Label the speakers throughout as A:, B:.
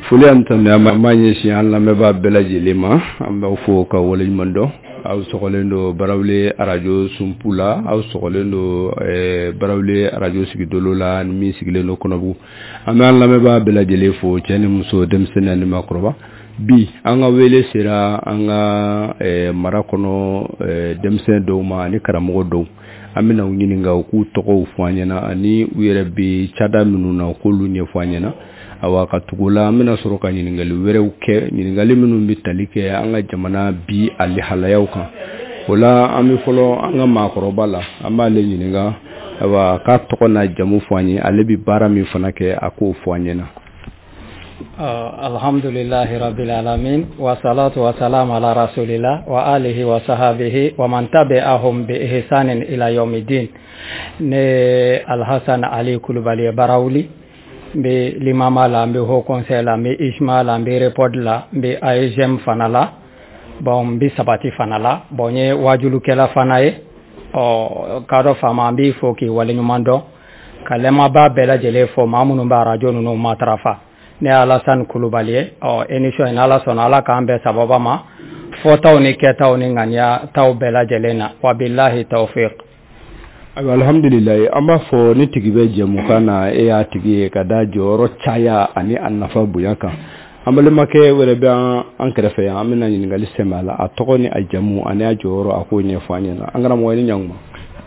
A: Foli ani tanu an b'a ɲɛsin an lamɛnbaa bɛɛ lajɛlen ma. An b'aw fo ka waleɲuman dɔn. Aw sɔgɔlen don Barawuli arajo sunpu la, aw sɔgɔlen don Barawuli arajo sigidolo la ni min sigilen don Kɔnɔbugu. An bɛ an lamɛnbaa bɛɛ lajɛlen fo, cɛ ni muso, denmisɛnnin ani maakɔrɔba. Bi an ka wele sera an ka mara kɔnɔ denmisɛn dɔw ma ani karamɔgɔ dɔw. An bɛna u ɲininka u k'u tɔgɔw fɔ an ɲɛna ani u yɛrɛ bɛ cada minnu na u k'olu ɲɛfɔ an ɲɛna. Awa ka tugu la, an bɛna sɔrɔ ka ɲininkali wɛrɛw kɛ, ɲininkali minnu bɛ tali kɛ an ka jamana bi a lihalayaw kan. O la an bɛ fɔlɔ an ka maakɔrɔba la, an b'ale ɲininka awa k'a tɔgɔ n'a jamu fɔ an ye, ale bɛ baara min fana kɛ a k'o fɔ an ɲɛna.
B: Alhamdulillahi rabbil alamin wa salatu wa salam ala rasulillah wa alihi wa sahabihi wa man tabi'ahum bi ihsanin ila yawmiddin. Ne Alhasan Ali Kulubali ye Barawuli, n bɛ limama la, n bɛ haut conseil la, n bɛ IJMA la, n bɛ REPOD la, n bɛ AEGM fana la, bon n bɛ sabati fana la, bon n ye wajulukɛla fana ye. Ɔ k'a dɔn faama, an b'i fo k'i waleɲuman dɔn, ka lɛmaba bɛɛ lajɛlen fo maa minnu bɛ arajo ninnu matarafa. Ne ye Alasani Kulubali ye. Ɔ émission in, ala sɔnna, ala k'an bɛn sababa ma fɔtaw ni kɛtaw ni ŋaniya taw bɛɛ lajɛlen na. Wa bilahi tawfiq.
A: Ayiwa, alhamdulilayi, an b'a fɔ ni tigi bɛ jɛmukan na, e y'a tigi ye ka da jɔyɔrɔ caya ani a nafa bonya kan. An balimakɛ wɛrɛ bɛ an kɛrɛfɛ yan, an bɛna ɲininkali sɛmɛ a la, a tɔgɔ ni a jamu ani a jɔyɔrɔ, a k'o ɲɛfɔ an ɲɛna. An karamɔgɔ, i ni ɲankuma.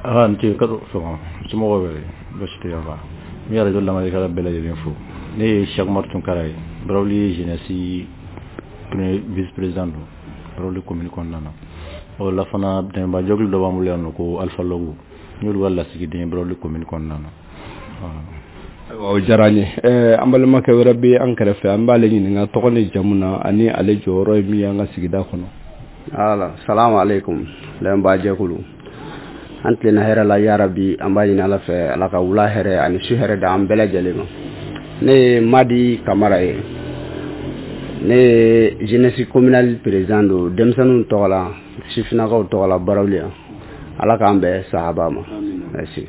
C: Aa, n ce ka sɔgɔma, somɔgɔw bɛ basi tɛ yan? N bɛ arajo lamɛnnikɛla bɛɛ lajɛlen fo. Ne ye Cheikh Umar Tunkara ye, Barawuli jeunesse premier vice président don Barawuli commune kɔnɔna na. O la fana, dɛmɛbaa jɛkulu dɔ b'an bolo yan nɔ ko Alpha Logo, n y'olu ka lasigiden ye Barawuli commune kɔnɔna na.
A: Ayiwa, o diyara an ye. An balimakɛ wɛrɛ bɛ an kɛrɛfɛ, an b'ale ɲininka tɔgɔ ni jamu na ani ale jɔyɔrɔ ye min ye an ka sigida kɔnɔ.
D: Ala salamu aleykum, lɛnba jɛkulu, an tilenna hɛrɛ la yarabi. An b'a ɲini Ala fɛ, Ala ka wula hɛrɛ ani su hɛrɛ da an bɛɛ lajɛlen ma. Ne ye Madi Kamara ye, ne ye jeunesse communale président don denmisɛnninw tɔgɔ la, sifinnakaw tɔgɔ la Barawuli yan. Ala k'an bɛn sahaba ma, merci.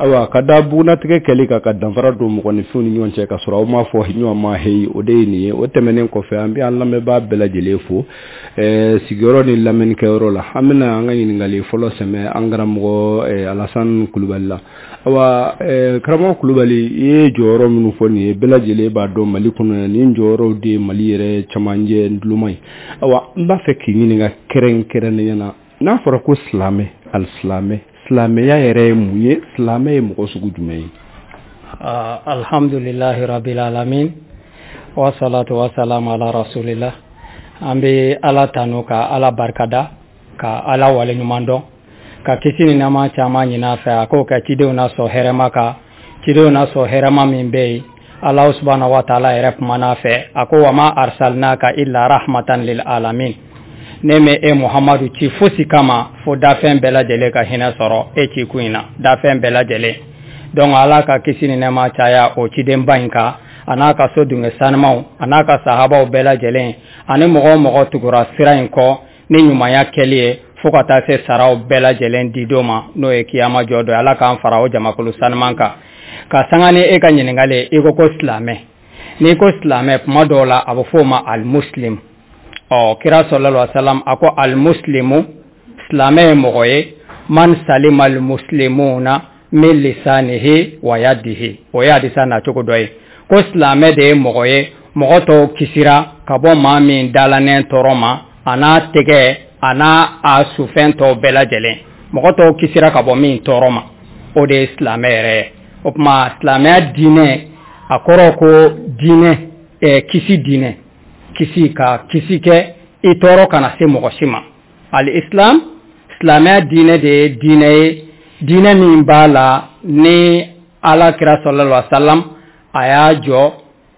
A: Ayiwa, ka da bugunatigɛ kɛli kan ka danfara don mɔgɔninfinw ni ɲɔgɔn cɛ ka sɔrɔ aw m'a fɔ ɲɔgɔn ma heyi, o de ye nin ye. O tɛmɛnen kɔfɛ, an bɛ an lamɛnbaa bɛɛ lajɛlen fo sigiyɔrɔ ni lamɛnnikɛyɔrɔ la. An bɛna an ka ɲininkali fɔlɔ sɛmɛ an karamɔgɔ Alasani Kulubali la. Ayiwa, karamɔgɔ Kulubali, i ye jɔyɔrɔ minnu fɔ nin ye, bɛɛ lajɛlen b'a dɔn Mali kɔnɔ nin jɔyɔrɔw de ye Mali yɛrɛ camancɛ nduloma ye. Ayiwa, n b'a fɛ k'i ɲininka kɛrɛnkɛrɛnnenya la, n'a fɔra ko silamɛ, alisilamɛ, silamɛya yɛrɛ ye mun ye? Silamɛ ye mɔgɔ sugu jumɛn ye?
B: Alhamdulillahi rabbil alamin wa salatu wa salam ala rasulillah. An bɛ Ala tanu, ka Ala barikada, ka Ala waleɲuman dɔn, ka kisi ni nɛɛma caman ɲini a fɛ, a k'o kɛ cidenw na sɔn hɛrɛma kan, cidenw na sɔn hɛrɛma min bɛ yen. Ala subhanahu wa taala yɛrɛ kumana a fɛ, a ko: wa ma arsalnaka illa rahmatan lil alamin. Ne mɛ e Muhamadu ci fosi kama fo dafɛn bɛɛ lajɛlen ka hinɛ sɔrɔ e ci kun in na, dafɛn bɛɛ lajɛlen. Donc Ala ka kisi ni nɛɛma caya o cidenba in kan, a n'a ka so dunge sanumaw, a n'a ka sahabaw bɛɛ lajɛlen, ani mɔgɔ o mɔgɔ tugura sira in kɔ ni ɲumanya kɛli ye fo ka taa se saraw bɛɛ lajɛlen didon ma, n'o ye kiyama jɔ dɔ ye. Ala k'an fara o jamakulu sanuman kan. Ka sanga ni e ka ɲininkali, i ko ko silamɛ. N'i ko silamɛ, kuma dɔw la a bɛ fɔ o ma alimuslim. Ɔ kira sallallahu alaihi wasallam a ko: alimuslimu, silamɛ ye mɔgɔ ye, man salima almuslimuna min lisanihi wa yadihi. O ye hadisa nacogo dɔ ye, ko silamɛ de ye mɔgɔ ye, mɔgɔ tɔw kisira ka bɔ maa min dalanɛ tɔɔrɔ ma, a n'a tɛgɛ, a n'a a sufɛn tɔw bɛɛ lajɛlen, mɔgɔ tɔw kisira ka bɔ min tɔɔrɔ ma, o de ye silamɛ yɛrɛ ye. O tuma silamɛya diinɛ, a kɔrɔ ko diinɛ kisi, diinɛ kisi, ka kisi kɛ i tɔɔrɔ kana se mɔgɔ si ma. Al islam, silamɛya diinɛ de ye diinɛ ye, diinɛ min b'a la ni Ala kira sallallahu alaihi wasallam a y'a jɔ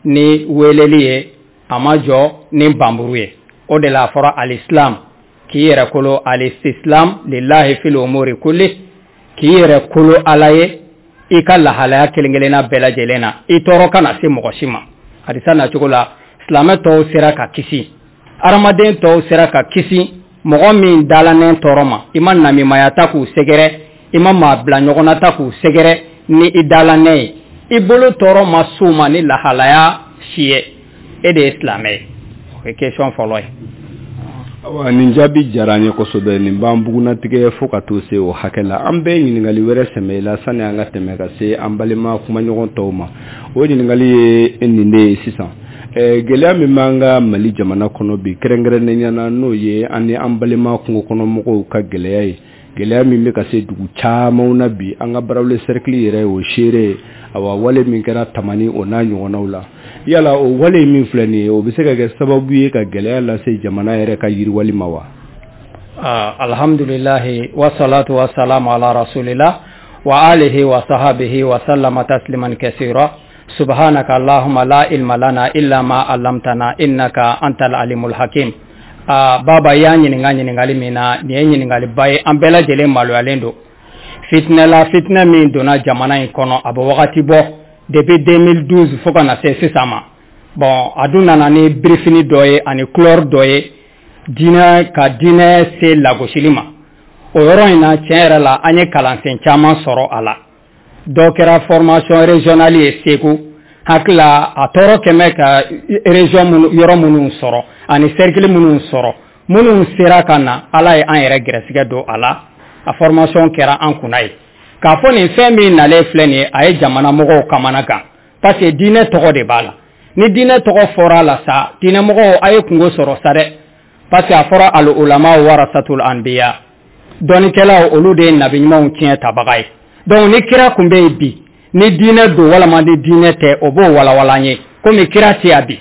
B: ni weleli ye, a ma jɔ ni banburu ye. O de la a fɔra alislam, k'i yɛrɛ kolo, alistislam lillahi fil umuri kulli, k'i yɛrɛ kolo Ala ye i ka lahalaya kelen kelenna bɛɛ lajɛlen na, i tɔɔrɔ kana se mɔgɔ si ma. Hadisa nacogo la, silamɛ tɔw sera ka kisi, adamaden tɔw sera ka kisi mɔgɔ min dalanɛ tɔɔrɔ ma. I ma namimaya ta k'u sɛgɛrɛ, i ma maa bila ɲɔgɔn na ta k'u sɛgɛrɛ ni i dalanɛ ye, i bolo tɔɔrɔ ma s'u ma ni lahalaya si ye. E de ye silamɛ ye. O ye question fɔlɔ ye.
A: Awa, nin jaabi diyara an ye kosɛbɛ. Nin b'an bugunatigɛ fo ka to se o hakɛ la. An bɛ ɲininkali wɛrɛ sɛmɛ i la sani an ka tɛmɛ ka se an balima kumaɲɔgɔn tɔw ma. O ɲininkali ye nin de ye sisan: gɛlɛya min b'an ka Mali jamana kɔnɔ bi, kɛrɛnkɛrɛnnenya na, n'o ye an ni an balima kungo kɔnɔmɔgɔw ka gɛlɛya ye, gɛlɛya min bɛ ka se dugu camanw na bi, an ka Barawuli cercle yɛrɛ y'o seere ye. Awa, wale min kɛra Tamani, o n'a ɲɔgɔnnaw la, yala o wale min filɛ nin ye, o bɛ se ka kɛ sababu ye ka gɛlɛya lase jamana yɛrɛ ka yiriwali ma wa?
B: Alhamdulilahi, wasalatu wasalamu ala rasulillah wa alihi wa sahabihi wa sallama tasliman kasira. Subhanaka allahumma la ilma lana illa ma allamtana innaka antal alimul hakim. Baba y'a ɲininka ɲininkali min na, nin ye ɲininkaliba ye. An bɛɛ lajɛlen maloyalen don fitinɛ la, fitinɛ min donna jamana in kɔnɔ a bɛ wagati bɔ, depuis 2012 fo ka na se sisan ma. Bon, a dun nana ni birifini dɔ ye ani couleur dɔ ye, diinɛ ka diinɛ se lagosili ma. O yɔrɔ in na, tiɲɛ yɛrɛ la, an ye kalansen caman sɔrɔ a la. Dɔ kɛra formation régionale ye Segu. Hakili la, a tɔɔrɔ kɛmɛ ka région minnu, yɔrɔ minnu sɔrɔ ani cercle minnu sɔrɔ, minnu sera ka na, Ala ye an yɛrɛ gɛrɛsɛgɛ don a la. A formation kɛra an kunna ye k'a fɔ nin fɛn min nalen filɛ nin ye, a ye jamana mɔgɔw kamana gan, parce que diinɛ tɔgɔ de b'a la. Ni diinɛ tɔgɔ fɔra a la sa, diinɛmɔgɔw a ye kungo sɔrɔ sa dɛ, parce que a fɔra al ulama warasatul anbiya, dɔnnikɛlaw, olu de ye nabi ɲumanw tiɲɛ tabaga ye. Donc ni kira kun bɛ yen bi, ni diinɛ don walama ni diinɛ tɛ, o b'o walawala an ye. Komi kira tɛ yan bi,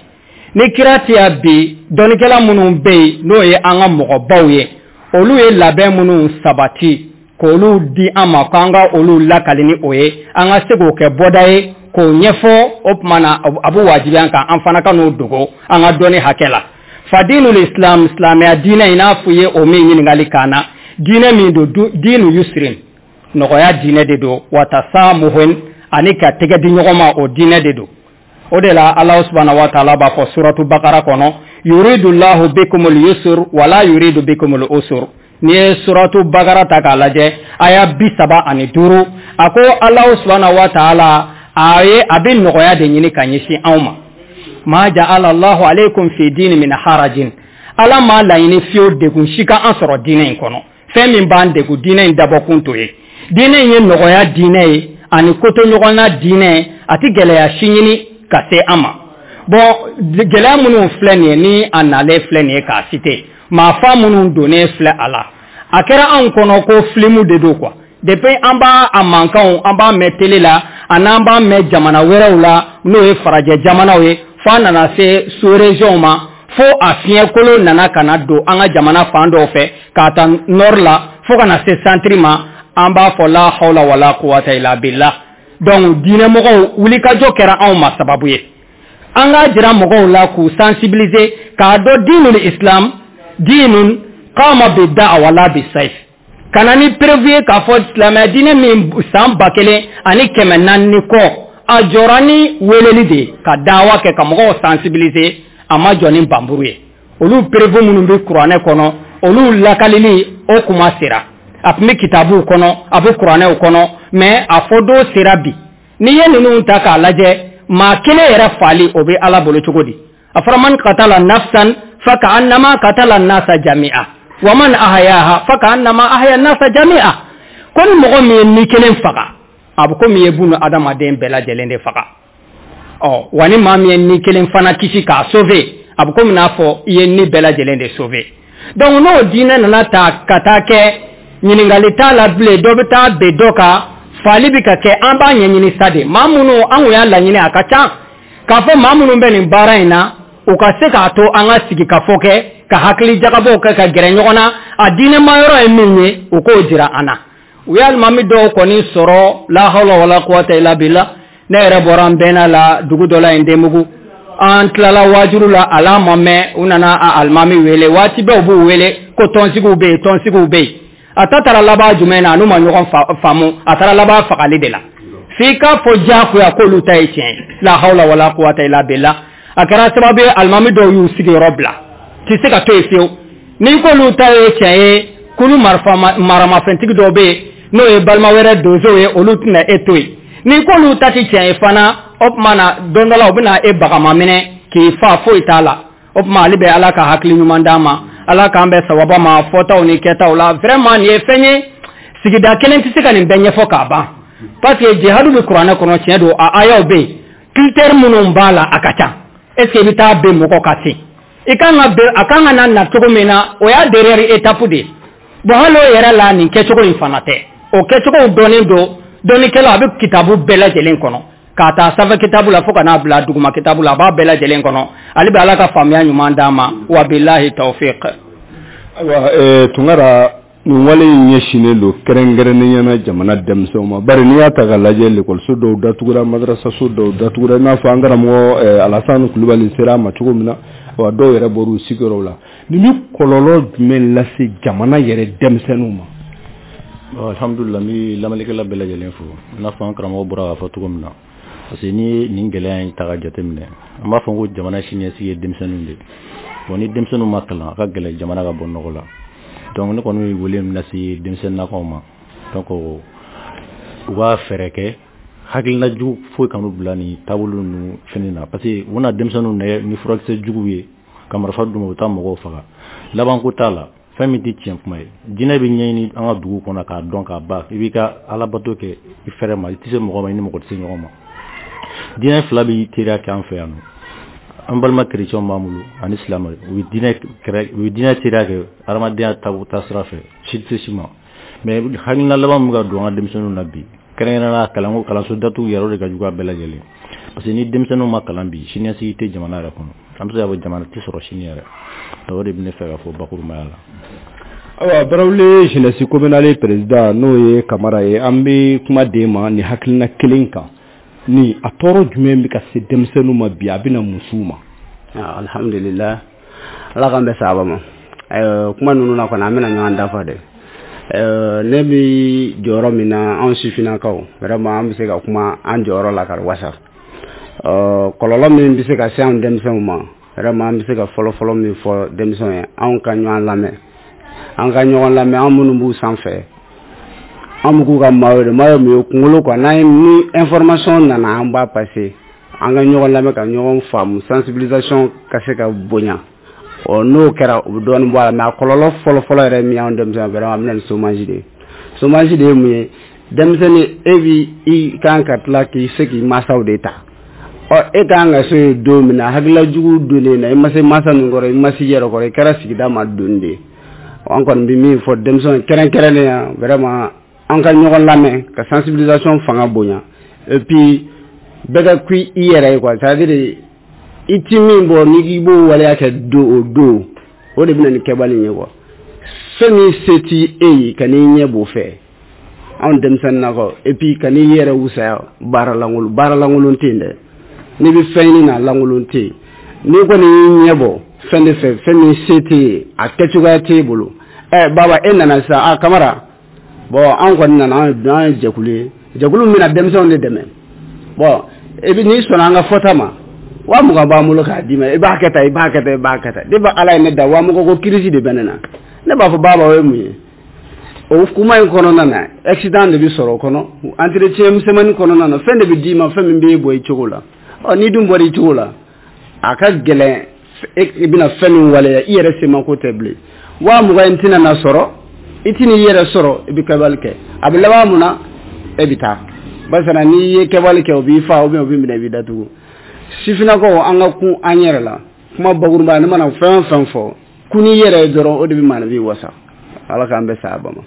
B: ni kira tɛ yan bi, dɔnnikɛla minnu bɛ yen, n'o ye an ka mɔgɔbaw ye, olu ye labɛn minnu sabati k'olu di an ma, k'an ka olu lakali ni o ye, an ka se k'o kɛ bɔda ye k'o ɲɛfɔ. O tuma na, a bɛ wajibiya an kan, an fana ka n'o dogo an ka dɔnni hakɛ la. Fadinul islam, silamɛya diinɛ, i n'a fɔ i ye o min ɲininkali k'an na, diinɛ min don, diinu yusrin, nɔgɔya diinɛ de don, watasamuhun, ani ka tɛgɛ di ɲɔgɔn ma, o diinɛ de don. O de la, Ala subhanahu wa taala b'a fɔ suratu Bakara kɔnɔ: yuridullahu bikumul yusr wala yuridu bikumul usr. N'i ye suratu Bakara ta k'a lajɛ, aya 35, a ko Ala subhanahu wa taala a ye a bɛ nɔgɔya de ɲini ka ɲɛsin anw ma. Ma ja'ala Allahu alaykum fi dini min harajin, Ala m'a laɲini fiyewu degun si ka an sɔrɔ diinɛ in kɔnɔ. Fɛn min b'an degun, diinɛ in dabɔkun t'o ye. Diinɛ in ye nɔgɔya diinɛ ye ani kotoɲɔgɔnna diinɛ, a tɛ gɛlɛya si ɲini ka se an ma. Bon, gɛlɛya minnu filɛ nin ye, ni a nalen filɛ nin ye k'a citer, maafa minnu donnen filɛ a la, a kɛra anw kɔnɔ ko filimu de don quoi. Depuis an b'a a mankanw, an b'a mɛn télé la, ani an b'a mɛn jamana wɛrɛw la, n'o ye farajɛ jamanaw ye, fo an nana se sous région ma, fo a fiɲɛkolo nana ka na don an ka jamana fan dɔw fɛ, k'a ta nord la fo ka na se centre ma. An b'a fɔ la hawla wala quwwata illa billah. Donc diinɛmɔgɔw wulikajɔ kɛra anw ma sababu ye an k'a jira mɔgɔw la, k'u sensibiliser, k'a dɔn dinul islam dinun qama bi da'wa la bi sayf, ka na ni preuve ye k'a fɔ silamɛya diinɛ min san 1400 ni kɔ, a jɔra ni weleli de ye, ka dawa kɛ, ka mɔgɔw sensibiliser, a ma jɔ ni banburu ye. Olu preuve minnu bɛ kuranɛ kɔnɔ, olu lakalili o kuma sera, a tun bɛ kitabuw kɔnɔ, a bɛ kuranɛw kɔnɔ, mais a fɔ don sera bi. N'i ye ninnu ta k'a lajɛ, maa kelen yɛrɛ faali, o bɛ Ala bolo cogo di? A fɔra man qatala nafsan fa ka'annama qatala nasa jami'a wa man ahyaha fa ka'annama ahya nasa jami'a. Ko ni mɔgɔ min ye ni kelen faga, a bɛ komi i ye bunu adamaden bɛɛ lajɛlen de faga. Ɔ wa, ni maa min ye ni kelen fana kisi k'a sauver, a bɛ komi n'a fɔ i ye ni bɛɛ lajɛlen de sauver. Donc n'o diinɛ nana ta ka taa kɛ, ɲininkali t'a la bilen, dɔ bɛ taa ben dɔ kan, faali bɛ ka kɛ, an b'a ɲɛɲini sa de. Maa minnu an kun y'a laɲini, a ka ca k'a fɔ maa minnu bɛ nin baara in na, u ka se k'a to an ka sigi ka fɔ kɛ, ka hakili jagabɔw kɛ, ka gɛrɛ ɲɔgɔn na. A diinɛma yɔrɔ ye min ye, u k'o jira an na. U ye alimami dɔw kɔni sɔrɔ, la hawla wala quwwata illa billah. Ne yɛrɛ bɔra n bɛnna la dugu dɔ la yen, Denbugu. An tilala waajuru la, a la ma mɛn, u nana a alimami wele. Waati bɛɛ u b'u wele ko tɔnsigiw bɛ yen, tɔnsigiw bɛ yen. A ta taara laban jumɛn na? N'u ma ɲɔgɔn faamu, a taara laban fagali de la, f'i k'a fɔ diyagoya k'olu ta ye tiɲɛ ye. La hawla wala quwwata illa billah. A kɛra sababu ye, alimami dɔw y'u sigiyɔrɔ bila, tɛ se ka to yen fiyewu. N'i k'olu ta ye tiɲɛ ye, kulu marifa maramafɛntigi dɔw bɛ yen, n'o ye balima wɛrɛ donsow ye, olu tɛna e to yen. N'i k'olu ta tɛ tiɲɛ ye fana, o tuma na, don dɔ la u bɛna e bagama minɛ. k'i fa foyi t'a la. O tuma ale bɛ Ala ka hakili ɲuman d'an ma, Ala k'an bɛn sawaba ma fɔtaw ni kɛtaw la. Vraiment nin ye fɛn ye, sigida kelen tɛ se ka nin bɛɛ ɲɛfɔ k'a ban, parce que jihadu bɛ kuranɛ kɔnɔ, tiɲɛ don, a ayaw bɛ yen, critère minnu b'a la a ka ca. Est ce que i bɛ taa ben mɔgɔ kan ten? I kan ka ben, a kan ka na na cogo min na, o y'a dernière étape de ye. Bon, hali o yɛrɛ la, nin kɛcogo in fana tɛ, o kɛcogow dɔnnen don dɔnnikɛla, a bɛ kitabu bɛɛ lajɛlen kɔnɔ, k'a ta sanfɛ kitabu la fo ka n'a bila duguma kitabu la, a b'a bɛɛ lajɛlen kɔnɔ. Ale bɛ Ala ka faamuya ɲuman d'an ma. Wa bilahi tawfiq.
A: Ayiwa Tunkara, nin wale in ɲɛsinnen don kɛrɛnkɛrɛnnenya na jamana denmisɛnw ma, bari n'i y'a ta k'a lajɛ, lekɔliso dɔw datugura, madrasaso dɔw datugura, i n'a fɔ an karamɔgɔ Alasani Kulubali sera a ma cogo min na, wa dɔw yɛrɛ bɔr'u sigiyɔrɔw la. Nin bɛ kɔlɔlɔ jumɛn lase jamana yɛrɛ denmisɛnninw ma?
C: Alhamdulillah, n bɛ lamɛnnikɛla bɛɛ lajɛlen fo. I n'a fɔ an karamɔgɔ bɔra k'a fɔ cogo min na, parce que n'i ye nin gɛlɛya in ta ka jateminɛ, an b'a fɔ ko jamana siniɲɛsigi ye denmisɛnninw de ye. Bon, ni denmisɛnninw ma kalan, a ka gɛlɛn jamana ka bɔ nɔgɔ la. Donc ne kɔni bɛ wele min lase denmisɛnninnakaw ma, donc u ka fɛɛrɛ kɛ, hakilina jugu foyi kan'u bila nin taabolo ninnu fɛnɛ na, parce que u bɛna denmisɛnninw nɛgɛ ni furakisɛ juguw ye ka marifa d'u ma, u bɛ taa mɔgɔw faga, labanko t'a la. Fɛn min tɛ tiɲɛ kuma ye, jinɛ bɛ ɲɛɲini an ka dugu kɔnɔ k'a dɔn k'a ban. I b'i ka alabato kɛ i fɛrɛ ma, i tɛ se mɔgɔ ma, i ni mɔgɔ tɛ se ɲɔgɔn ma. Diinɛ fila bɛ teriya kɛ an fɛ yan nɔ, an balima kerecɛnw b'an bolo ani silamɛ, u bɛ diinɛ kɛrɛ, u bɛ diinɛ teriya kɛ adamadenya taasira fɛ, si tɛ se si ma. Mais hakilina laban min bɛ ka don an ka denmisɛnninw na bi, kɛrɛnkɛrɛnnenya kalanko, kalanso datugu yɛrɛ, o de ka jugu a bɛɛ lajɛlen, parce que ni denmisɛnninw ma kalan bi, siniɲɛsigi tɛ jamana yɛrɛ kɔnɔ. An bɛ se k'a fɔ jamana tɛ sɔrɔ sini yɛrɛ. O de bɛ ne fɛ ka fɔ bakurubaya la.
A: Ayiwa, Barawuli jeunesse communale président, n'o ye Kamara ye, an bɛ kuma d'e ma nin hakilina kelen kan. Ni a tɔɔrɔ jumɛn bɛ ka se denmisɛnninw ma bi, a bɛna musow ma?
D: Alhamdulillah, Ala k'an bɛn sahaba ma. Kuma ninnu na kɔni, an bɛna ɲɔgɔn dafa dɛ. Ne bɛ jɔyɔrɔ min na, anw sifinnakaw, vraiment an bɛ se ka kuma an jɔyɔrɔ la ka wasa. Kɔlɔlɔ min bɛ se ka se anw denmisɛnw ma, vraiment an bɛ se ka fɔlɔ-fɔlɔ min fɔ denmisɛnw ye, anw ka ɲɔgɔn lamɛn, an ka ɲɔgɔn lamɛn. An minnu b'u sanfɛ, an bɛ k'u ka maaw de, maaw min ye kunkolo quoi. N'an ye ni information nana, an b'a passer. An ka ɲɔgɔn lamɛn ka ɲɔgɔn faamu, sensibilisation ka se ka bonya. Ɔ n'o kɛra, u bɛ dɔɔnin bɔ a la. Mais a kɔlɔlɔ fɔlɔ-fɔlɔ yɛrɛ min y'anw denmisɛnw, vraiment a bɛ na ni chômage de ye. Chômage de ye mun ye? Denmisɛnnin, e bi i kan ka tila k'i se k'i mansaw de ta. Ɔ e kan ka se yen don min na, hakilila jugu donnen na, i ma se mansa ninnu kɔrɔ, i ma se i yɛrɛ kɔrɔ, i kɛra sigida ma doni de ye. An kɔni bɛ min fɔ denmisɛnw kɛrɛnkɛrɛnnen ya, vraiment an ka ɲɔgɔn lamɛn ka sensibilisation fanga bonya, et puis bɛɛ ka ku i yɛrɛ ye quoi. C'est à dire i ti min bɔ, n'i k'i b'o waleya kɛ don o don, o de bɛ na ni kɛbali ye quoi. Fɛn min se t'i e ye, ka n'i ɲɛ b'o fɛ, anw denmisɛnninnakaw, et puis ka n'i yɛrɛ wusaya baara lankolon, baara lankolon tɛ yen dɛ. N'i bɛ fɛn ɲini na, lankolon tɛ yen. N'i kɔni y'i ɲɛ bɔ fɛn de fɛ, fɛn min se t'e ye, a kɛcogoya t'e bolo. Ɛ baba, e nana sisan, a Kamara, bon, an kɔni nana, an ye jɛkulu ye, jɛkulu min bɛna denmisɛnw de dɛmɛ. Bon, e bɛ n'i sɔnna an ka fɔta ma, 20 000 b'an bolo k'a d'i ma, i b'a kɛ tan, i b'a kɛ tan, i b'a kɛ tan. Depuis Ala ye ne da, 20 000 ko crise de bɛ ne na. Ne b'a fɔ baba, o ye mun ye? O kuma in kɔnɔna na, accident de bɛ sɔrɔ o kɔnɔ, entretien misɛnmanin kɔnɔna na, fɛn de bɛ d'i ma, fɛn min b'e bɔ i cogo la. Ɔ n'i dun bɔra i cogo la, a ka gɛlɛn i bɛna fɛn min waleya, i yɛrɛ semako tɛ bilen. 20 000 in tɛna na sɔrɔ, i tɛna i yɛrɛ sɔrɔ, i bɛ kɛwale kɛ, a bɛ laban mun na? E bɛ taa barisa n'i ye kɛwale kɛ, o b'i fa ou bien o b'i minɛ, i b'i datugu. Sifinnakaw, an ka kun an yɛrɛ la. Kuma bakuruba, ne mana fɛn o fɛn fɔ, kun n'i yɛrɛ ye dɔrɔn, o de bɛ maanifin wasa. Ala k'an bɛn sahaba ma.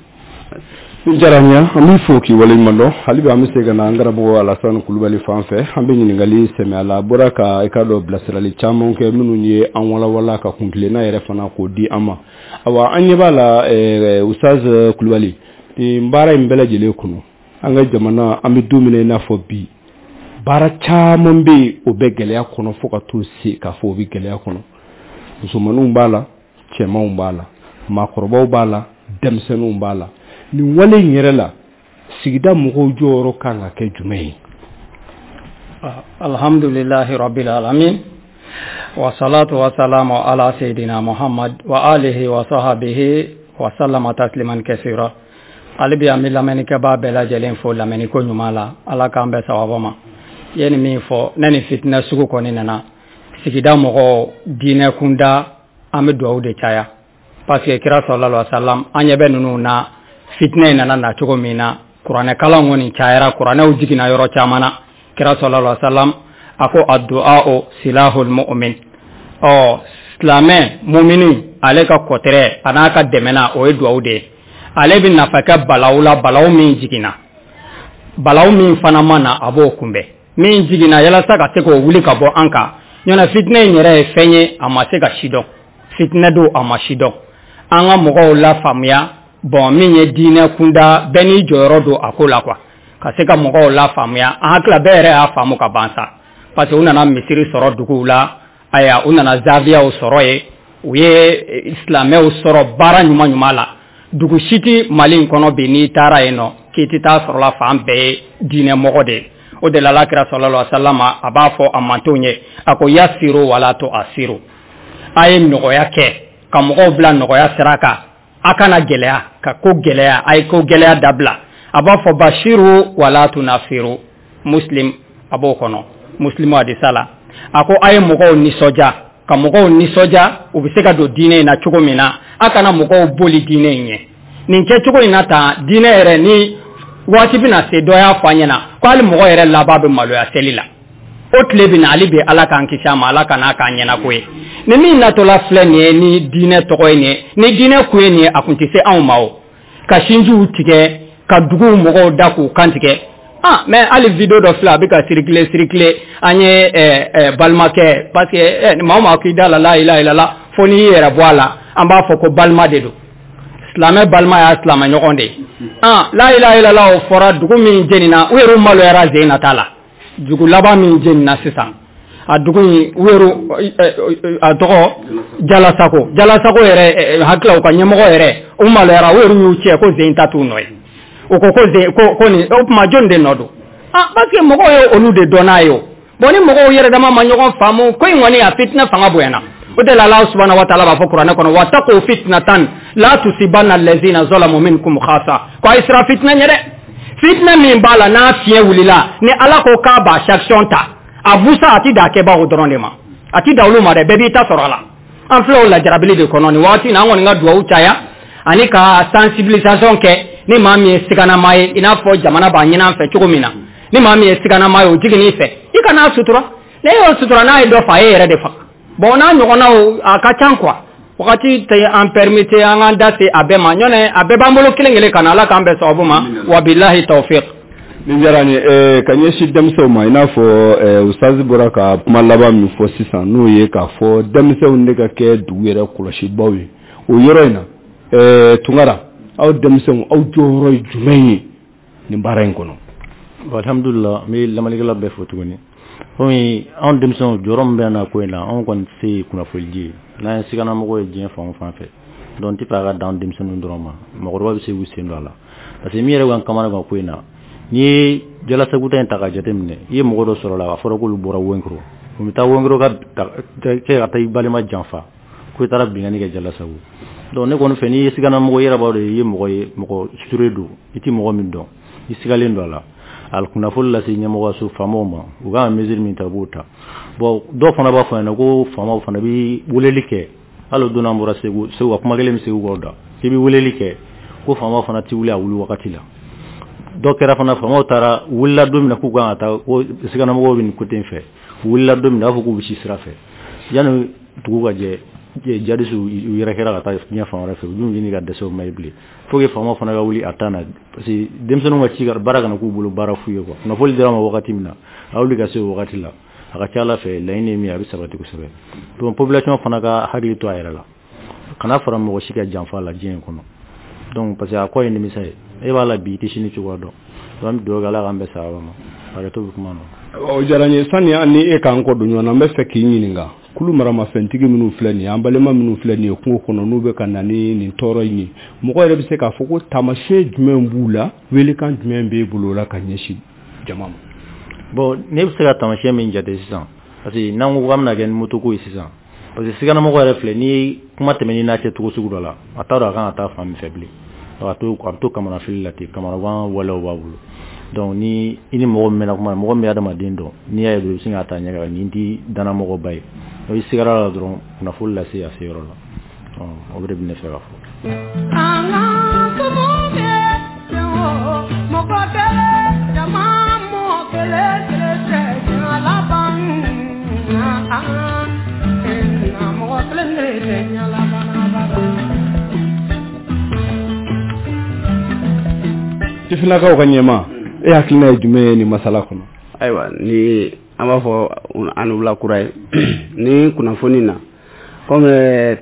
A: Ni diyara n ye, an b'i fo k'i waleɲuman dɔn. Hali bi an bɛ se ka na an karamɔgɔ Alasani Kulubali fan fɛ, an bɛ ɲininkali sɛmɛ a la. A bɔra ka i ka dɔn bilasirali caman kɛ minnu ye an walawala ka kuntilenna yɛrɛ fana k'o di an ma. Awa, an ɲɛ b'a la, Ustaz Kulubali, nin baara in bɛɛ lajɛlen kɔnɔ, an ka jamana, an bɛ don min na i n'a fɔ bi, baara caman bɛ yen, o bɛ gɛlɛya kɔnɔ, fo ka t'o se k'a fɔ o bɛ gɛlɛya kɔnɔ. Musomaninw b'a la, cɛmanw b'a la, maakɔrɔbaw b'a la, denmisɛnninw b'a la. Nin wale in yɛrɛ la, sigida mɔgɔw jɔyɔrɔ kan ka kɛ jumɛn ye?
B: Alhamdulillahi rabbil alamin, wasalatu wasalamu ala sayyidina Muhammad wa alihi wa sahbihi wa sallama tasliman kasira. Ale bi an bɛ lamɛnnikɛbaa bɛɛ lajɛlen fo lamɛnniko ɲuman la. Ala k'an bɛn sawaba ma. I ye nin min fɔ ne, ni fitinɛ sugu kɔni nana. Sigida mɔgɔw, diinɛ kunda, an bɛ dugawu de caya, parce que kira sallallahu alaihi wasallam, an ɲɛ bɛ ninnu na, fitinɛ in nana na cogo min na, kuranɛ kalan kɔni cayara, kuranɛw jiginna yɔrɔ caman na. Kira sallallahu alaihi wasallam a ko addu'a silahul mu'min. Ɔ silamɛ mumini, ale ka kɔtɛrɛ a n'a ka dɛmɛna, o ye dugawu de ye. Ale bɛ nafa kɛ balawu la, balawu min jiginna, balawu min fana ma na, a b'o kunbɛn. Min jiginna, yalasa ka se k'o wuli ka bɔ an kan. Ɲɔnɔ fitinɛ in yɛrɛ ye fɛn ye, a ma se ka si dɔn. Fitinɛ don, a ma si dɔn. An ka mɔgɔw la faamuya. Bon, min ye diinɛ kunda, bɛɛ n'i jɔyɔrɔ don a ko la quoi, ka se ka mɔgɔw la faamuya. An hakili bɛɛ yɛrɛ y'a faamu ka ban sa, parce que u nana misiri sɔrɔ duguw la, ayiwa, u nana zawiyaw sɔrɔ yen, u ye silamɛw sɔrɔ baara ɲuman ɲuman la. Dugu si tɛ Mali in kɔnɔ bi, n'i taara yen nɔ k'i tɛ taa sɔrɔ la, fan bɛɛ ye diinɛ mɔgɔ de ye. O de la, Alakira sallallahu alaihi wa sallam a b'a fɔ a mantonw ye, a ko yasiru wala tuasiru, a ye nɔgɔya kɛ ka mɔgɔw bila nɔgɔya sira kan, a kana gɛlɛya ka ko gɛlɛya, a ye ko gɛlɛya dabila. A b'a fɔ bashiru wala tunafiru. Muslim a b'o kɔnɔ, Muslimu hadisa la, a ko a ye mɔgɔw nisɔndiya, ka mɔgɔw nisɔndiya, u bɛ se ka don diinɛ in na cogo min na. A kana mɔgɔw boli diinɛ in ɲɛ nin kɛcogo in na tan. Diinɛ yɛrɛ ni waati bɛna se, dɔ y'a fɔ an ɲɛna ko hali mɔgɔ yɛrɛ laban bɛ maloya seli la, o tile bɛ na. Hali bi, Ala k'an kisi a ma, Ala ka n'a k'an ɲɛna ko ye. Ni min natɔla filɛ nin ye, ni diinɛ tɔgɔ ye nin ye, ni diinɛ kun ye nin ye, a kun tɛ se anw ma. O ka sinjiw tigɛ, ka duguw mɔgɔw da k'u kan tigɛ. Ah, mais hali vidéo dɔ filɛ, a bɛ ka circuler circuler. An ye balimakɛ, parce que maa o maa k'i da la la ilaha illallah, fo n'i y'i yɛrɛ bɔ a la, an b'a fɔ ko balima de don. Silamɛ balima y'a silamɛ ɲɔgɔn de ye. Ah, la ilaha illallah, o fɔra dugu min jenina, u yɛrɛ maloyara zen na t'a la. Dugu laban min jenina sisan, a dugu in, u yɛrɛ a tɔgɔ Jalasako. Jalasako yɛrɛ hakili, u ka ɲɛmɔgɔ yɛrɛ, u maloyara, u yɛrɛ y'u cɛ ko zen ta t'u nɔ ye. U ko ko zen ko nin o tuma, jɔn de nɔ don? Ah, parce que mɔgɔw ye olu de dɔn n'a ye. O bon, ni mɔgɔw yɛrɛ dama ma ɲɔgɔn faamu, ko in kɔni a fitinɛ fanga bonyana. O de la, Ala subhanahu wa ta'ala b'a fɔ kuranɛ kɔnɔ: wattaqu fitnatan la tusibanna allazina zalamu minkum khassa. Ko a ye siran fitinɛ ɲɛ dɛ, fitinɛ min b'a la, n'a fiɲɛ wulila, ni Ala ko k'a b'a sanction ta, a busa a ti da kɛbagaw dɔrɔn de ma, a ti da olu ma dɛ, bɛɛ b'i ta sɔrɔ a la. An filɛ o lajarabili de kɔnɔ nin waati in na. An kɔni ka duwawu caya ani ka sensibilisation kɛ. Ni maa min ye siganama ye, i n'a fɔ jamana b'a ɲini an fɛ cogo min na, ni maa min ye siganama ye, o jigin'i fɛ, i kana sutura. Ne y'o sutura, n'a ye dɔ fa, e yɛrɛ de faga. Bon, n'a ɲɔgɔnnaw a ka ca quoi, wagati tɛ an permettre an k'an da se a bɛɛ ma. Ɲɔnɛ a bɛɛ b'an bolo kelen kelen ka na. Ala k'an bɛn sababu ma, wabilahi tawfiq.
A: Nin diyara n ye. Ka ɲɛsin denmisɛnw ma, i n'a fɔ ustazi bɔra ka kuma laban min fɔ sisan, n'o ye k'a fɔ denmisɛnw de ka kɛ dugu yɛrɛ kɔlɔsibaw ye o yɔrɔ in na. Tunkara, aw denmisɛnw, aw jɔyɔrɔ ye jumɛn ye nin baara in kɔnɔ?
C: Alhamdulillah, n bɛ lamɛnnikɛla bɛɛ fo tuguni. Komi anw denmisɛnw, jɔyɔrɔ min bɛ na ko in na, anw kɔni tɛ se kunnafoni di ye n'an ye siganamɔgɔ ye diɲɛ fan o fan fɛ. Donc n tɛ fɛ a ka dan denmisɛnninw dɔrɔn ma, mɔgɔkɔrɔba bɛ se k'u sen don a la, parce que min yɛrɛ b'an kamana gan ko in na, n'i ye Jalasagu ta in ta ka jateminɛ, i ye mɔgɔ dɔ sɔrɔ la, a fɔra k'olu bɔra Wenkoro, u bɛ taa Wenkoro ka kɛ ka taa i balima janfa ko i taara binkanni kɛ Jalasagu. Donc ne kɔni fɛ, n'i ye siganamɔgɔ, i yɛrɛ b'a dɔn i ye mɔgɔ ye, mɔgɔ sure don, i tɛ mɔgɔ min dɔn, i sigalen don a la, a kunnafoni lase ɲɛmɔgɔso faamaw ma, u kan ka mesure min ta, u b'o ta. Bon, dɔw fana b'a fɔ ɲɛna ko faamaw fana bɛ weleli kɛ. Hali o don an bɔra Segu, Segu ka kuma kelen bɛ Segu kɔ da k'i bɛ weleli kɛ, ko faamaw fana tɛ wuli a wuli wagati la. Dɔ kɛra fana, faamaw taara wulila don min na k'u kan ka taa, ko siganamɔgɔw bɛ nin côté in fɛ, u wulila don min na, a b'a fɔ k'u bɛ si sira fɛ, yanni dugu ka jɛ, jadisiw u yɛrɛ kɛra ka taa diɲɛ fan wɛrɛ fɛ. U dun ɲini ka dɛsɛ, o ma ye bilen. Faut que faamaw fana ka wuli a temps na, parce que denmisɛnninw ka ci baara kana k'u bolo baara fu ye quoi. Kunnafoni dira ma wagati min na, a wuli ka se o wagati la, a ka ca Ala fɛ, laɲini ye min ye, a bɛ sabati kosɛbɛ. Donc population fana ka hakili to a yɛrɛ la, kana fara mɔgɔ si ka janfa la diɲɛ in kɔnɔ. Donc parce que a kɔ ye nimisa ye, e b'a la bi, i tɛ sini cogoya dɔn. Donc an bɛ dugawu kɛ, Ala k'an bɛn sababa ma. Hakɛto bɛ kuma na.
A: O diyara n ye. Sani an ni e k'an kɔ don ɲɔgɔn na, n bɛ fɛ k'i ɲininka: kulu maramafɛntigi minnu filɛ nin ye, an balima minnu filɛ nin ye kungo kɔnɔ, n'u bɛ ka na ni nin tɔɔrɔ in ye, mɔgɔ yɛrɛ bɛ se k'a fɔ ko taamasiyɛn jumɛn b'u la? Welekan jumɛn b'e bolo o la ka ɲɛsin jama ma?
C: Bon, ne bɛ se ka taamasiyɛn min jate sisan, parce que n'an ko k'an bɛna kɛ ni motoko ye sisan, parce que siganamɔgɔ yɛrɛ filɛ, n'i ye kuma tɛmɛ n'i n'a cɛ cogo sugu dɔ la, a t'a dɔn a kan ka taa fan min fɛ bilen, a bɛ to kamanafili la ten, kamanagan walew b'a bolo. Donc ni i ni mɔgɔ min mɛnna kuma na, mɔgɔ min bɛ adamaden dɔn, n'i y'a ye dɔrɔn, i bɛ sin k'a ta ɲɛ kan, nin tɛ danamɔgɔba ye. N'o sigara la dɔrɔn, kunnafoni lase a se yɔrɔ la. O de bɛ ne fɛ ka fɔ.
A: Sifinnakaw ka ɲɛmaa, e hakilina ye jumɛn ye nin masala kɔnɔ?
D: Ayiwa, ni an b'a fɔ an wula kura ye ni kunnafoni na, komi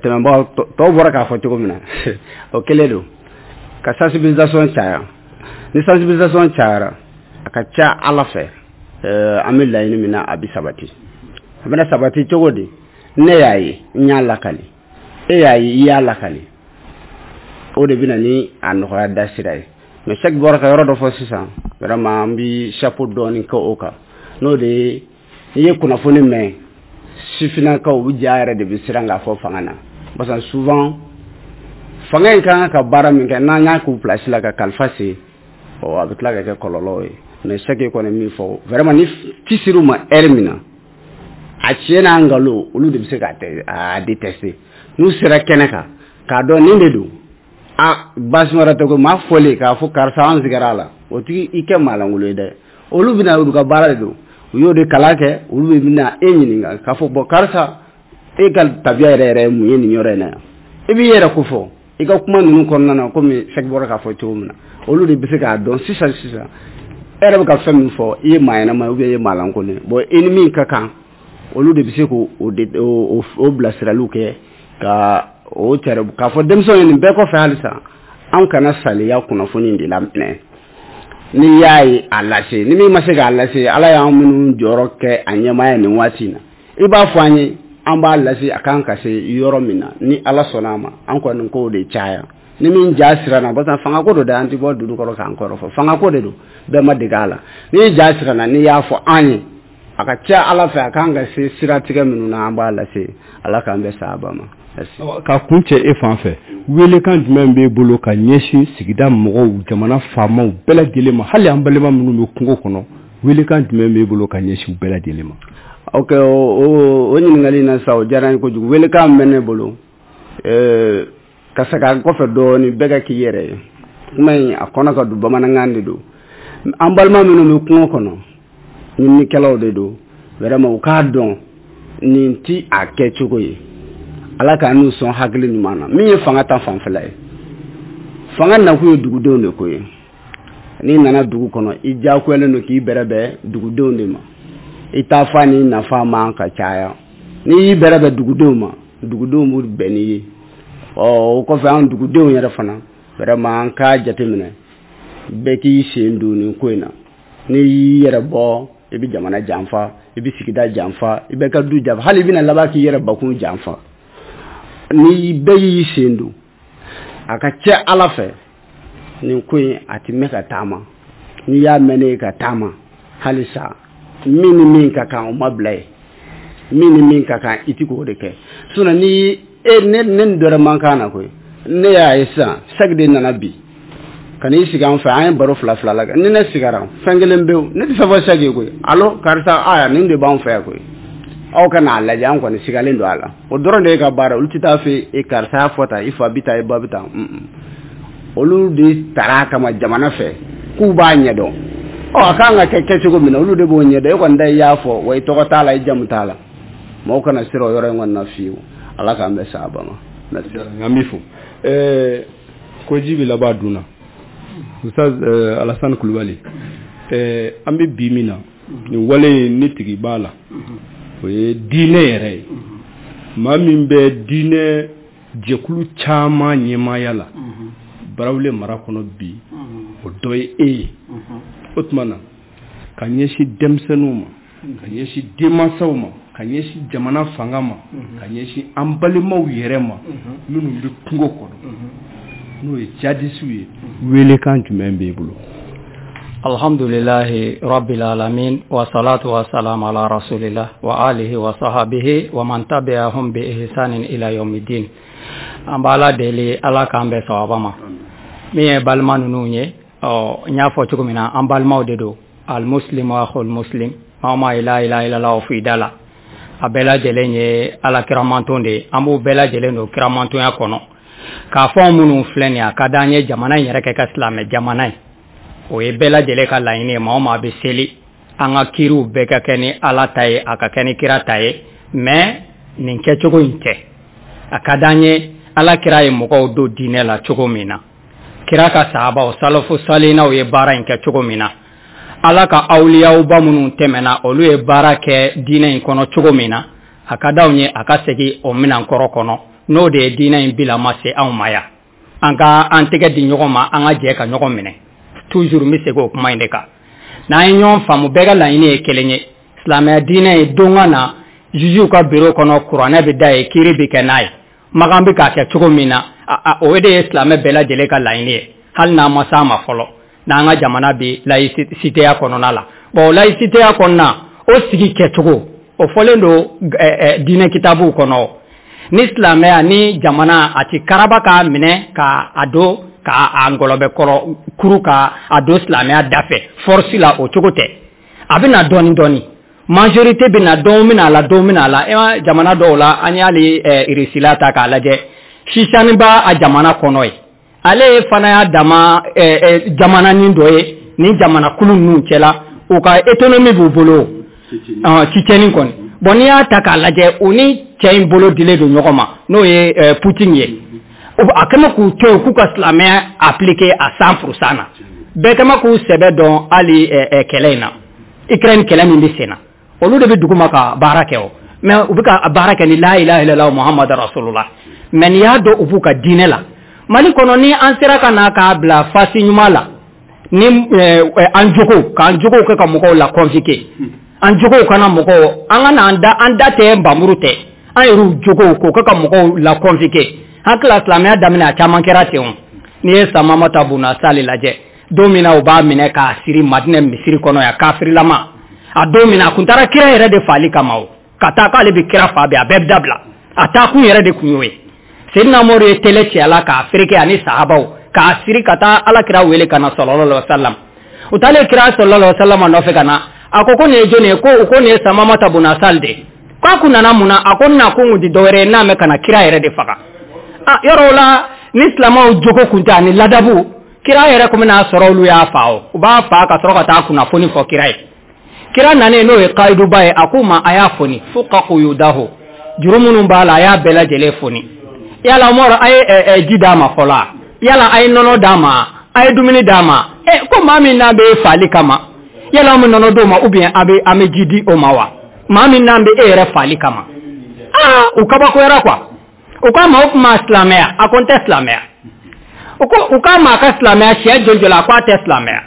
D: tɛmɛbagaw tɔw bɔra k'a fɔ cogo min na, o kelen don ka sensibilisation caya. Ni sensibilisation cayara, a ka ca Ala fɛ, an bɛ laɲini min na, a bɛ sabati. A bɛna sabati cogo di? Ne y'a ye, n y'a lakali, e y'a ye, i y'a lakali, o de bɛna ni a nɔgɔya da sira ye. Mais Sɛki bɔra ka yɔrɔ dɔ fɔ sisan, vraiment an bɛ chapeau dɔɔni kɛ o kan, n'o de ye n'i ye kunnafoni mɛn, sifinnakaw u ja yɛrɛ de bɛ siran k'a fɔ fanga na, parce que souvent fanga in ka kan ka baara min kɛ, n'an y'a k'u place la ka kalifa se, ɔ a bɛ tila ka kɛ kɔlɔlɔ ye. Mais Sɛki kɔni min fɔ, vraiment ni ci ser'u ma heure min na, a tiɲɛ n'a nkalon, olu de bɛ se k'a détester. N'u sera kɛnɛ kan k'a dɔn nin de don, a baasi wɛrɛ tɛ ko maa fɔlen k'a fɔ karisa an sigara a la, o tigi i kɛ maalankolon ye dɛ. Olu bɛna, olu ka baara de don, u y'o de kalan kɛ, olu de bɛna e ɲininka k'a fɔ bɔn karisa, e ka tabiya yɛrɛ yɛrɛ ye mun ye nin yɔrɔ in na yan? I b'i yɛrɛ ko fɔ i ka kuma ninnu kɔnɔna na, komi Sɛki bɔra k'a fɔ cogo min na, olu de bɛ se k'a dɔn sisan sisan e yɛrɛ bɛ ka fɛn min fɔ, i ye maa ɲɛnama ye ou bien i ye maa lankolon ye. Bon, i ni min ka kan, olu de bɛ se k'o o bilasiraliw kɛ ka o cɛrɛ k'a fɔ denmisɛnw ye. Nin bɛɛ kɔfɛ, halisa an kana saliya kunnafoni de laminɛ. N'i y'a ye, a lase. Ni min ma se k'a lase, Ala y'an minnu jɔyɔrɔ kɛ a ɲɛmaaya nin waati in na, i b'a fɔ an ye, an b'a lase a kan ka se yɔrɔ min na. Ni Ala sɔnna a ma, an kɔni k'o de caya. Ni min ja siranna, parce que fangako don dɛ, an tɛ bɔ dugu kɔrɔ k'an kɔrɔ fɔ, fangako de don, bɛɛ ma dege a la. N'i ja siranna, n'i y'a fɔ an ye, a ka ca Ala fɛ, a kan ka se siratigɛ minnu na, an b'a lase. Ala k'an bɛ sahaba ma.
A: Ka kun cɛ, e fan fɛ, welekan jumɛn b'e bolo ka ɲɛsin sigida mɔgɔw, jamana faamaw bɛɛ lajɛlen ma, hali an balima minnu bɛ kungo kɔnɔ, welekan jumɛn b'e bolo ka ɲɛsin u bɛɛ lajɛlen ma?
D: Ok, o ɲininkali in na sa, o diyara n ye kojugu. Welekan min bɛ ne bolo, ka segin a kɔfɛ dɔɔni, bɛɛ ka k'i yɛrɛ ye. Kuma in a kɔnɔ ka don, bamanankan de don. An balima minnu bɛ kungo kɔnɔ, ɲininikɛlaw de don, vraiment u k'a dɔn nin ti a kɛcogo ye. Ala k'a n'u sɔn hakili ɲuman na. Min ye fanga ta fanfɛla ye, fanga nakun ye dugudenw de ko ye. N'i nana dugu kɔnɔ, i diyagoyalen don k'i bɛrɛbɛn dugudenw de ma. I ta fa ni nafa man ka caya. N'i y'i bɛrɛbɛn dugudenw ma, dugudenw b'u bɛn n'i ye. Ɔ o kɔfɛ, an dugudenw yɛrɛ fana, vraiment an k'a jateminɛ, bɛɛ k'i sen don nin ko in na. N'i y'i yɛrɛ bɔ, i bɛ jamana janfa, i bɛ sigida janfa, i bɛ ka du janfa, hali i bɛna laban k'i yɛrɛ bakun janfa. Ni bɛɛ y'i sen don, a ka ca Ala fɛ, nin ko in a ti mɛn ka taama. N'i y'a mɛn ne ye ka taama, halisa min ni min ka kan, o ma bila yen. Min ni min ka kan, i ti k'o de kɛ. Sinon ni e ne ni dɔ wɛrɛ man kan na koyi. Ne y'a ye sisan, Sɛki de nana bi ka n'i sigi an fɛ, an ye baro fila fila la kɛ. Ni ne sigara fɛn kelen pewu, ne tɛ fɛn fɔ Sɛki ye koyi: alo karisa, aya nin de b'an fɛ yan koyi, aw ka n'a lajɛ, an kɔni sigalen don a la. O dɔrɔn de ye ka baara. Olu tɛ taa fɛ e karisa y'a fɔ tan, i fa bi tan, i ba bi tan. Olu de taara a kama jamana fɛ k'u b'a ɲɛdɔn. Ɔ a kan ka kɛ kɛcogo min na, olu de b'o ɲɛdɔn. E kɔni da i y'a fɔ wa, i tɔgɔ t'a la, i jamu t'a la. Mɔgɔw kana siran o yɔrɔ in kɔni na fiyewu. Ala k'an bɛn sahaba ma.
A: Merci. An b'i fo. Ko ji bɛ laban dun na. Ustaz Alassane Kulubali, an bɛ bi min na, nin wale in ni tigi b'a la, o ye diinɛ yɛrɛ ye. Maa min bɛ diinɛ jɛkulu caman ɲɛmaaya la Barawule mara kɔnɔ bi, o dɔ ye e ye. O tuma na, ka ɲɛsin denmisɛnninw ma, ka ɲɛsin denmansaw ma, ka ɲɛsin jamana fanga ma, ka ɲɛsin an balimaw yɛrɛ ma minnu bɛ kungo kɔnɔ, n'o ye jadisiw ye, welekan jumɛn b'e bolo?
B: Alhamdulillahi rabbil alamin, wa salatu wa salam ala rasulillah wa alihi wa sahabihi wa man tabi'ahum bi ihsanin ila yawmiddin. An b'Ala deli, Ala k'an bɛn sawaba ma. Min ye balima ninnu ye, ɔ n y'a fɔ cogo min na, an balimaw de don. Al muslimu akhul muslim. Maa o maa ye la ilaha illallah fɔ i da la, A bɛɛ lajɛlen ye Ala kiramanton de ye. An b'u bɛɛ lajɛlen don kiramantonya kɔnɔ. K'a fɔ minnu filɛ nin ye, a ka d'an ye jamana in yɛrɛ kɛ ka silamɛ jamana ye. O ye bɛɛ lajɛlen ka laɲini ye. Maa o maa bɛ seli, an ka kiriw bɛɛ ka kɛ ni Ala ta ye, a ka kɛ ni kira ta ye. Mais nin kɛcogo in tɛ. A ka d'an ye Ala kira ye mɔgɔw don diinɛ la cogo min na, kira ka sahabaw salafu salinaw ye baara in kɛ cogo min na, Ala ka awliyawba minnu tɛmɛna, olu ye baara kɛ diinɛ in kɔnɔ cogo min na, a ka d'anw ye a ka segin o minɛn kɔrɔ kɔnɔ. N'o de ye diinɛ in bilama se anw ma yan. An ka an tɛgɛ di ɲɔgɔn ma, an ka jɛ ka ɲɔgɔn minɛ. Toujours n bɛ segin o kuma in de kan. N'an ye ɲɔgɔn faamu, bɛɛ ka laɲini ye kelen ye. Silamɛya diinɛ ye don ka na jugew ka bureau kɔnɔ, kuranɛ bɛ da yen, kiiri bɛ kɛ n'a ye. Makan bɛ k'a kɛ cogo min na, o de ye silamɛ bɛɛ lajɛlen ka laɲini ye, hali n'an ma s'a ma fɔlɔ. N'an ka jamana bɛ laïcitéya kɔnɔna la. Bon, laïcitéya kɔnɔna, o sigi kɛcogo, o fɔlen don diinɛ kitabuw kɔnɔ. Ni silamɛya ni jamana a ti karaba k'a minɛ k'a don k'a ngɔlɔbɛ kɔrɔ kuru k'a don silamɛya da fɛ force la, o cogo tɛ. A bɛ na dɔɔni dɔɔni, majorité bɛ na, dɔw bɛna a la, dɔw bɛna a la. E ma jamana dɔw la, an y'ale Irisila ta k'a lajɛ, Sisani b'a a jamana kɔnɔ ye. Ale fana y'a dama jamananin dɔ ye ni jamana kulu ninnu cɛla, u ka autonomie b'u bolo, Tchétchénie kɔni. Bon, n'i y'a ta k'a lajɛ, u ni cɛ in bolo dilen don ɲɔgɔn ma, n'o ye Poutine ye. A kɛmɛ k'u to yen k'u ka silamɛya appliquer à 100% na. Bɛɛ kɛmɛ k'u sɛbɛ dɔn hali kɛlɛ in na, Ukraine kɛlɛ min bɛ sen na, olu de bɛ dugu ma ka baara kɛ o. Mais u bɛ ka baara kɛ ni la ilaha illallah Muhammad rasulullah. Mais n'i y'a dɔn u b'u ka diinɛ la. Mali kɔnɔ, ni an sera ka na k'a bila fasi ɲuman la, ni an jogo k'an jogow kɛ ka mɔgɔw la convoquer, an jogow kana mɔgɔw, an ka na an da, an da tɛ nbamuru tɛ, an yɛrɛw jogow k'o kɛ ka mɔgɔw la convoquer. Hakili la, silamɛya daminɛ, a caman kɛra ten o. N'i ye Samamata Buna Sali lajɛ, don min na u b'a minɛ k'a siri Madinɛ misiri kɔnɔ yan, kafirilama, a don min na a kun taara kira yɛrɛ de faali kama o, ka taa k'ale bɛ kira fa bi, a bɛɛ bɛ dabila. A taa kun yɛrɛ de kun y'o ye. Seydina Umaru ye télé ci a la k'a fereke ani sahabaw k'a siri ka taa Ala kira wele ka na sallallahu alaihi wasallam. U taalen kira sallallahu alaihi wasallam nɔfɛ ka na, a ko ko nin ye jɔnni ye? Ko u ko nin ye Samamata Buna Sali de. K'a kun nana mun na? A ko n na kun kun tɛ dɔwɛrɛ ye n'a mɛn ka na kira yɛrɛ de faga. A yɔrɔ o la, ni silamɛw jogo kun tɛ ani ladabu, kira yɛrɛ kun bɛna sɔrɔ olu y'a fa o, u b'a fa ka sɔrɔ ka taa kunnafoni fɔ kira ye. Kira nanen, n'o ye kayiduba ye, a k'u ma a y'a foni fuqa quyudahu, juru minnu b'a la, a y'a bɛɛ lajɛlen foni. Yala Umaru, a ye ji d'a ma fɔlɔ? Yala a ye nɔnɔ d'a ma? A ye dumuni d'a ma? Ɛ, ko maa min n'a bɛ faali kama, yala an bɛ nɔnɔ d'o ma ou bien an bɛ an bɛ ji di o ma wa? Maa min n'an bɛ e yɛrɛ faali kama. Aa, u kabakoyara quoi. U k'a ma o kuma silamɛya? A ko n tɛ silamɛya. U ko u k'a ma a ka silamɛya siɲɛ joli joli? A ko a tɛ silamɛya.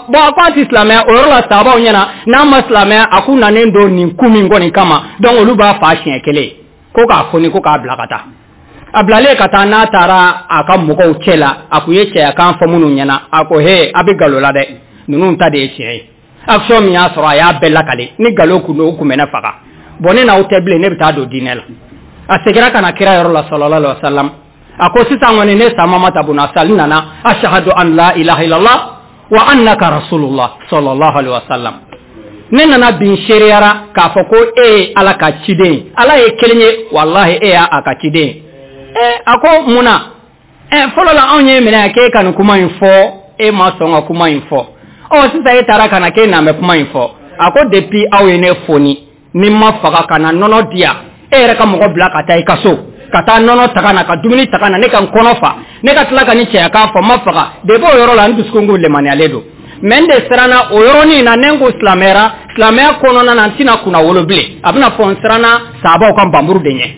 B: Bon, a ko a tɛ silamɛya o yɔrɔ la sahabaw ɲɛna, n'a ma silamɛya, a k'u nanen don nin kun min kɔni kama, donc olu b'a fa siɲɛ kelen ko k'a foni, ko k'a bila ka taa. A bilalen ka taa, n'a taara a ka mɔgɔw cɛ la, a kun ye cɛyakan fɔ minnu ɲɛna, a ko he, a bɛ nkalon la dɛ, ninnu ta de ye tiɲɛ ye. Action min y'a sɔrɔ, a y'a bɛɛ lakale. Ni nkalon kun don, u kun bɛ ne faga. Bon, ne n'aw tɛ bilen, ne bɛ taa don diinɛ la. A seginna ka na kira yɔrɔ la sallallahu alaihi wa sallam, a ko sisan kɔni, ne Samamata buna Sali nana, ashhadu an la ilaha illallah wa annaka rasulullah sallallahu alaihi wa sallam. Ne nana bin seereyara k'a fɔ ko e ye Ala ka ciden ye, Ala ye kelen ye, walahi e y'a a ka ciden ye. Ɛ, a ko mun na? Ɛ, fɔlɔ la anw ye minɛ k'e ka nin kuma in fɔ, e ma sɔn ka kuma in fɔ. Ɔ, sisan e taara ka na k'e na bɛ kuma in fɔ. A ko depuis aw ye ne foni ni ma faga ka na nɔnɔ di yan, e yɛrɛ ka mɔgɔ bila ka taa i ka so ka taa nɔnɔ ta ka na, ka dumuni ta ka na, ne ka n kɔnɔ fa, ne ka tila ka ni cɛyakan fɔ, n ma faga. Depuis o yɔrɔ la, n dusukun ko lemaniyalen don. Mais n de siranna o yɔrɔnin na, ne ko silamɛyara, silamɛya kɔnɔna na, n tɛna kunna wolo bilen, a bɛna fɔ n siranna sahabaw ka npanmuru de ɲɛ,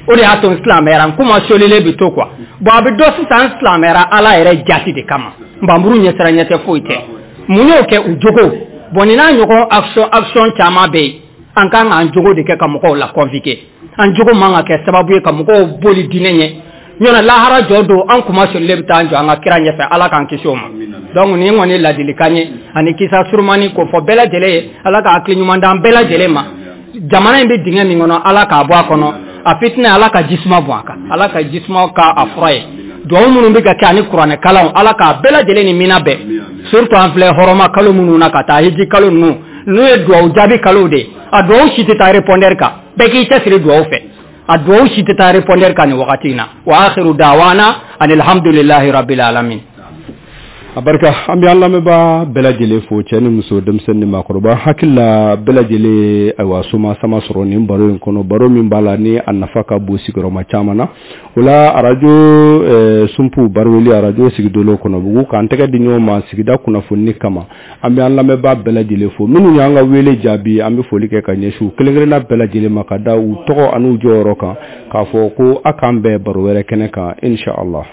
B: o de y'a to n silamɛyara, n kuma solilen bɛ to quoi. Bon, a bɛ dɔn sisan n silamɛyara Ala yɛrɛ jati de kama, npanmuru ɲɛsiran ɲɛ tɛ, foyi tɛ. Mun y'o kɛ? U jogo. Bon, nin n'a ɲɔgɔn action caman bɛ yen. An kan k'an jogo de kɛ ka mɔgɔw la convoquer. An jogo man ka kɛ sababu ye ka mɔgɔw boli diinɛ ɲɛ ɲɔna. Lahara jɔ don, an kuma solilen bɛ taa an jɔ an ka kira ɲɛfɛ, Ala k'an kisi o ma. Donc nin kɔni ye ladilikan ye ani kisa surumani k'o fɔ bɛɛ lajɛlen ye. Ala ka hakili ɲuman d'an bɛɛ lajɛlen ma. Jamana in bɛ dingɛ min kɔnɔ, Ala k'a bɔ a kɔnɔ. A fitinɛ, Ala ka jisuma bɔn a kan, Ala ka jisuma ka a fura ye. Duwawu minnu bɛ ka kɛ ani kuranɛ kalanw, Ala k'a bɛɛ lajɛlen ni mina bɛɛ, surtout an filɛ hɔrɔma kalo minnu na ka taa hiji kalo ninnu, n'u ye duwawu jaabi kalow de ye. A duwawu si tɛ taa répondeur kan. Bɛɛ k'i cɛsiri duwawu fɛ. A duwawu si tɛ taa répondeur kan nin wagati in na. Wa akhiru da'wana anilhamdulillahi rabbil alamin.
A: A barika, an bɛ an lamɛnbaa bɛɛ lajɛlen fo, cɛ ni muso, denmisɛnnin ni maakɔrɔba. Hakili la bɛɛ lajɛlen, ayiwa, soma sama sɔrɔ nin baro in kɔnɔ, baro min b'a la ni a nafa ka bon sigiyɔrɔma caman na. O la, arajo Sunpu Baraweli, arajo sigidolo Kɔnɔbugu, k'an tɛgɛ di ɲɔgɔn ma sigida kunnafoni kama. An bɛ an lamɛnbaa bɛɛ lajɛlen fo. Minnu y'an ka wele jaabi, an bɛ foli kɛ ka ɲɛsin u kelen-kelenna bɛɛ lajɛlen ma, ka da u tɔgɔ an'u jɔyɔrɔ kan, k'a fɔ ko a k'an bɛn baro wɛrɛ kɛnɛ kan, insha Allah.